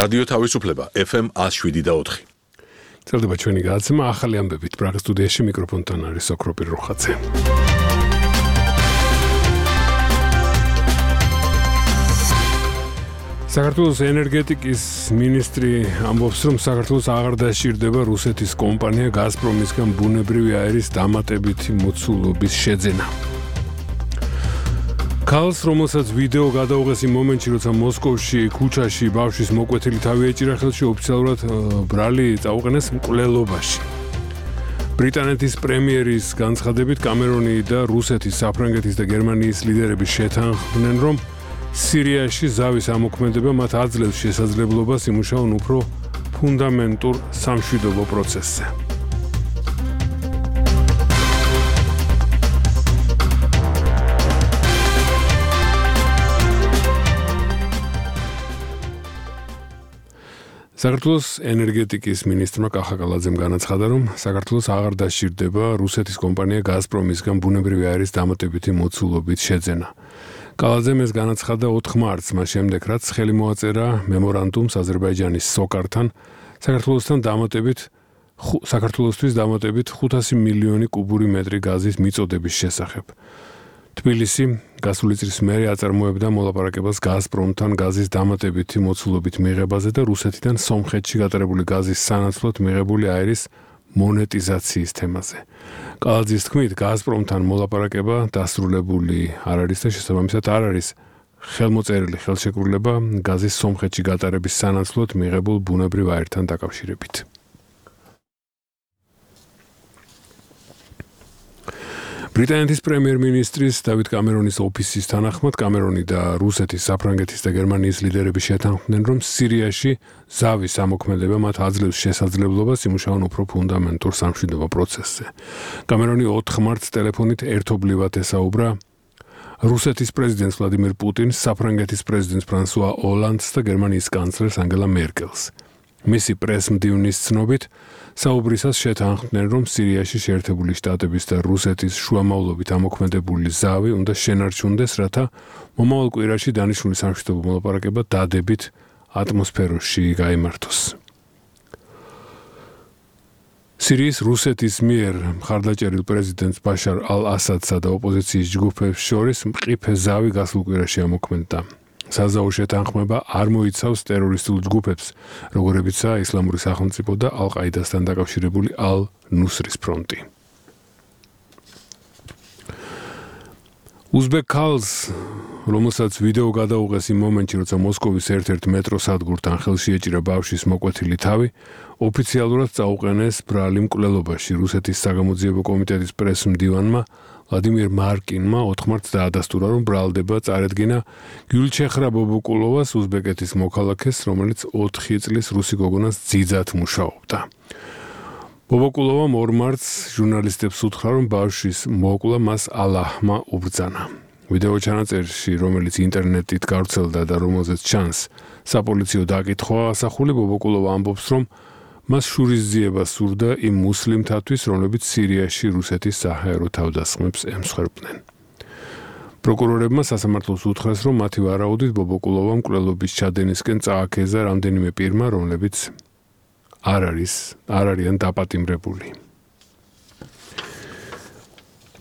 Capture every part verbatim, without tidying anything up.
რადიო თავისუფლება F M one oh seven და four. წერდება ჩვენი გადაცემა ახალი ამბებით პრაღის სტუდიაში მიკროფონთან არის ოქროპირ როხაძე. საქართველოს ენერგეტიკის მინისტრი ამბობს, რომ საქართველოს აღარ დაშირდება რუსეთის კომპანია გაზპრომისგან ბუნებრივი აირის დამატებითი მოცულობის შეძენა. ქალს, რომელსაც ვიდეო გადაუღეს იმ მომენტში, როცა მოსკოვში ქუჩაში ბავშვის მოკვეთილი თავი ეჭირა ხელში, ოფიციალურად ბრალი წაუყენეს მკვლელობაში. ბრიტანეთის პრემიერის განცხადებით კამერონი და რუსეთის, საფრანგეთის და გერმანიის ლიდერები შეთანხმდნენ, რომ სირიაში ზავის ამოქმედება მათ აძლევს შესაძლებლობას იმუშაონ უფრო ფუნდამენტურ სამშვიდობო პროცესზე. საქართველოს ენერგეტიკის მინისტრმა კახა კალაძემ განაცხადა, რომ საქართველოს აღარ დაშირდება რუსეთის კომპანია გაზპრომისგან ბუნებრივი აირის დამატებითი მოცულობით შეძენა. კალაძემ ეს განაცხადა ოთხ მარტს, მას შემდეგ, რაც ხელი მოაწერა მემორანდუმს აზერბაიჯანის სოკართან, საქართველოსთან დამატებით საქართველოსთვის დამატებით ხუთასი მილიონი კუბური მეტრი გაზის მიწოდების შესახებ. თბილისი გასული წლის მერე აწარმოებდა მოლაპარაკებას გაზპრომთან გაზის დამატებითი მოცულობით მიღებაზე და რუსეთიდან სომხეთში გატარებული გაზის სანაცვლოდ მიღებული აირის მონეტიზაციის თემაზე. კალაძის თქმით, გაზპრომთან მოლაპარაკება დასრულებული არ არის და შესაბამისად არ არის ხელმოწერილი ხელშეკრულება გაზის სომხეთში გატარების სანაცვლოდ მიღებულ ბუნებრივ აირთან დაკავშირებით. ბრიტანეთის პრემიერ-მინისტრის დავით კამერონის ოფისის თანახმად, კამერონი და რუსეთის, საფრანგეთის და გერმანიის ლიდერები შეთანხმდნენ, რომ სირიაში ზავის ამოქმედება მათ აძლევს შესაძლებლობას იმუშაონ უფრო ფუნდამენტურ სამშვიდობო პროცესზე. კამერონი ოთხ მარტს ტელეფონით ერთობლივად ესაუბრა რუსეთის პრეზიდენტს ვლადიმირ პუტინს, საფრანგეთის პრეზიდენტს ფრანსუა ოლანდს და გერმანიის კანცლერს ანგელა მერკელს. მისი პრესმდივნის ცნობით, საუბრისას შეთანხმდნენ, რომ სირიაში შეერთებული შტატების და რუსეთის შუამავლობით ამოქმედებული ზავი უნდა შენარჩუნდეს, რათა მომავალ კვირაში დანიშნული სამშვიდობო მოლაპარაკება დადებით ატმოსფეროში გაიმართოს. სირიის რუსეთის მიერ მხარდაჭერილ პრეზიდენტს ბაშარ ალ-ასადსა და ოპოზიციის ჯგუფებს შორის მყიფე ზავი გასულ კვირაში ამოქმედდა. საზავო შეთანხმება არ მოიცავს ტერორისტულ ჯგუფებს, როგორებიცაა ისლამური სახელმწიფო და ალ-ყაიდასთან დაკავშირებული ალ-ნუსრის ფრონტი. უზბეკ ქალს, რომელსაც ვიდეო გადაუღეს იმ მომენტში, როცა მოსკოვის ერთ-ერთ მეტრო სადგურთან ხელში ეჭირა ბავშვის მოკვეთილი თავი, ოფიციალურად წაუყენეს ბრალი მკვლელობაში. რუსეთის საგამოძიებო კომიტეტის პრესმდივანმა ვლადიმირ მარკინმა ოთხ მარტს დაადასტურა, რომ ბრალდება წარედგინა გიულჩეხრა ბობოკულოვას, უზბეკეთის მოქალაქეს, რომელიც ოთხი წლის რუსი გოგონას ძიძად მუშაობდა. ბობოკულოვამ ორ მარტს ჟურნალისტებს უთხრა, რომ ბავშვის მოკლა მას ალაჰმა უბრძანა. ვიდეო ჩანაწერში, რომელიც ინტერნეტით გავრცელდა და რომელზეც ჩანს საპოლიციო დაკითხვა ასახული, ბობოკულოვა ამბობს, რომ მას შურისძიება სურდა იმ მუსლიმთათვის, რომლებიც სირიაში რუსეთის საჰაერო თავდასხმებს ემსხვერპლნენ. პროკურორებმა სასამართლოს უთხრეს, რომ მათი ვარაუდით ბობოკულოვა მკვლელობის ჩადენისკენ წააქეზა რამდენიმე პირმა, რომლებიც არ არის, არ არიან დაპატიმრებული.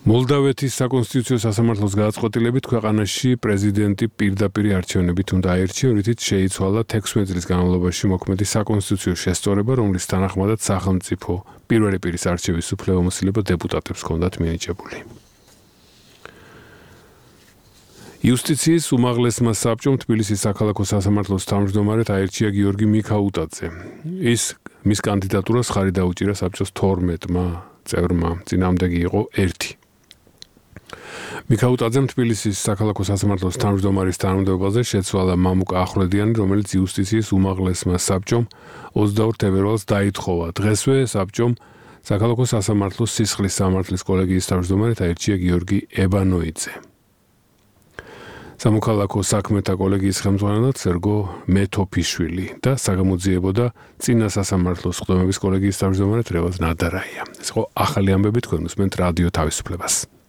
მოლდავეთის საკონსტიტუციო სასამართლოს გადაწყვეტილებით ქვეყანაში პრეზიდენტი პირდაპირ არჩევნებით უნდა აირჩიონ, რითიც შეიცვალა თექვსმეტ წლის განმავლობაში მოქმედი საკონსტიტუციო შესწორება, რომლის თანახმადაც სახელმწიფო პირველი პირის არჩევის უფლებამოსილება დეპუტატებს ჰქონდათ მინიჭებული. იუსტიციის უმაღლესმა საბჭომ თბილისის საქალაქო სასამართლოს თავმჯდომარედ აირჩია გიორგი მიქაუტაძე. ის მის კანდიდატურას ხარი დაუჭირა საბჭოს თორმეტმა წევრმა, წინააღმდეგი იყო ერთი. მიქაუტაძემ თბილისის საქალაქო სასამართლოს თავმჯდომარის თანამდებობაზე შეცვალა მამუკა ახვლედიანი, რომელიც იუსტიციის უმაღლესმა საბჭომ ოცდაორ თებერვალს დაითხოვა. დღესვე საბჭომ საქალაქო სასამართლოს სისხლის სამართლის კოლეგიის თავმჯდომარედ აირჩია გიორგი ებანოიძე. სამოქალაქო საქმეთა კოლეგიის ხელმძღვანელად სერგო მეთოფიშვილი და საგამოძიებო და წინა სასამართლოს ხდომების კოლეგიის თავმჯდომარედ რევაზ ნადარაია. ეს იყო ახალი ამბები, თქვენ უსმენთ რადიო თავისუფლებას.